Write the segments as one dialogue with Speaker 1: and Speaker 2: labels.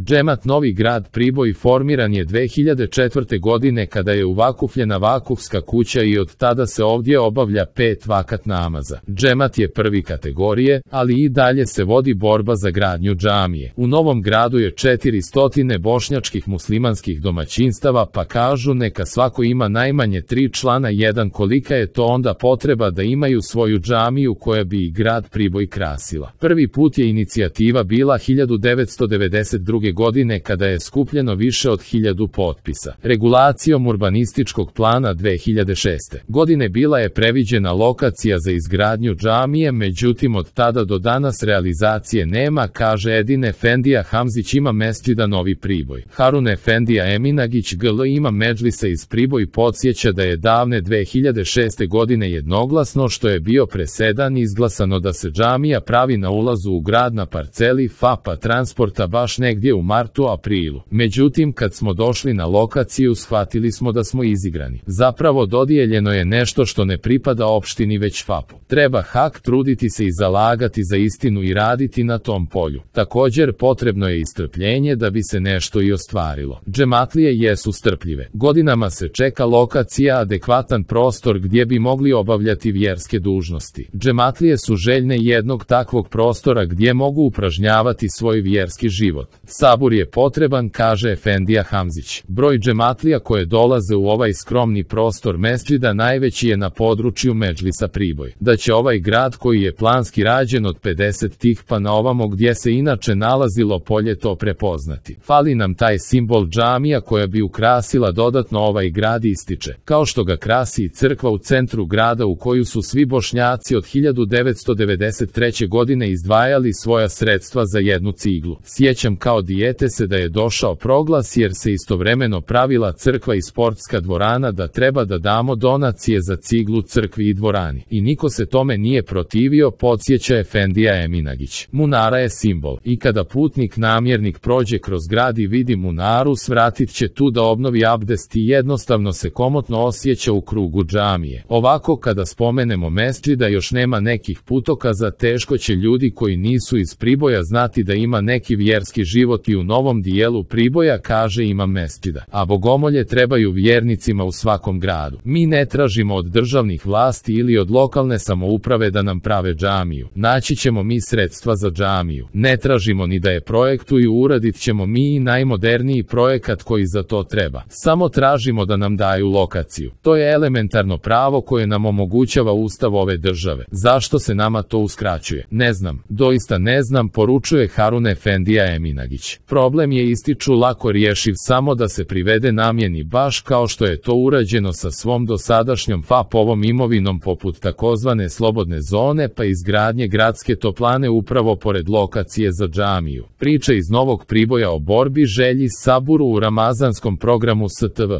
Speaker 1: Džemat Novi Grad Priboj formiran je 2004. godine kada je uvakufljena vakufska kuća i od tada se ovdje obavlja 5 vakat namaza. Džemat je prvi kategorije, ali i dalje se vodi borba za gradnju džamije. U Novom Gradu je 400 bošnjačkih muslimanskih domaćinstava, pa kažu neka svako ima najmanje 3 člana. Jedan, kolika je to onda potreba da imaju svoju džamiju koja bi i grad Priboj krasila. Prvi put je inicijativa bila 1992. godine kada je skupljeno više od 1000 potpisa. Regulacijom urbanističkog plana 2006. godine bila je previđena lokacija za izgradnju džamije, međutim od tada do danas realizacije nema, kaže Edin Efendija Hamzić ima mesdžida Novi Priboj. Harun Efendija Eminagić GL ima medžlisa iz Priboj podsjeća da je davne 2006. godine jednoglasno, što je bio presedan, izglasano da se džamija pravi na ulazu u grad na parceli FAP-a transporta baš negdje u martu-aprilu. Međutim, kad smo došli na lokaciju shvatili smo da smo izigrani. Zapravo dodijeljeno je nešto što ne pripada opštini već FAP-u. Treba hak truditi se i zalagati za istinu i raditi na tom polju. Također potrebno je i strpljenje da bi se nešto i ostvarilo. Džematlije jesu strpljive. Godinama se čeka lokacija, adekvatan prostor gdje bi mogli obavljati vjerske dužnosti. Džematlije su željne jednog takvog prostora gdje mogu upražnjavati svoj vjerski život. Sabur je potreban, kaže Efendija Hamzić. Broj džematlija koje dolaze u ovaj skromni prostor mesdžida najveći je na području Medžlisa Priboj. Da će ovaj grad koji je planski rađen od 50 tih pa na ovamo gdje se inače nalazilo polje to prepoznati. Fali nam taj simbol džamija koja bi ukrasila dodatno ovaj grad, ističe. Kao što ga krasi i crkva u centru grada u koju su svi Bošnjaci od 1993. godine izdvajali svoja sredstva za jednu ciglu. Sjećam kao dijete se da je došao proglas jer se istovremeno pravila crkva i sportska dvorana da treba da damo donacije za ciglu crkvi i dvorani. I niko se tome nije protivio, podsjeća Efendija Eminagić. Munara je simbol. I kada putnik namjernik prođe kroz grad i vidi munaru, svratit će tu da obnovi abdest i jednostavno se komotno osjeća u krugu džamije. Ovako kada spomenemo mesdžida još nema nekih putokaza, teško će ljudi koji nisu iz Priboja znati da ima neki vjerski život i u novom dijelu Priboja, kaže imam mesdžida. A bogomolje trebaju vjernicima u svakom gradu. Mi ne tražimo od državnih vlasti ili od lokalne samouprave da nam prave džamiju. Naći ćemo mi sredstva za džamiju. Ne tražimo ni da je projektuju, uradit ćemo mi i najmoderniji projekat koji za to treba. Samo tražimo da nam daju lokaciju. To je elementarno pravo koje nam omogućava Ustav ove države. Zašto se nama to uskraćuje? Ne znam, doista ne znam, poručuje Harun Efendija Eminagić. Problem je, ističu, lako rješiv, samo da se privede namjeni, baš kao što je to urađeno sa svom dosadašnjom FAP-ovom imovinom poput takozvane slobodne zone pa izgradnje gradske toplane upravo pored lokacije za džamiju. Priča iz Novog Priboja o borbi, želji, saburu u ramazanskom programu STV.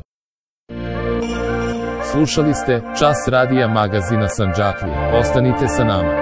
Speaker 1: Slušali ste Čas radija magazina Sandžaklije. Ostanite sa nama.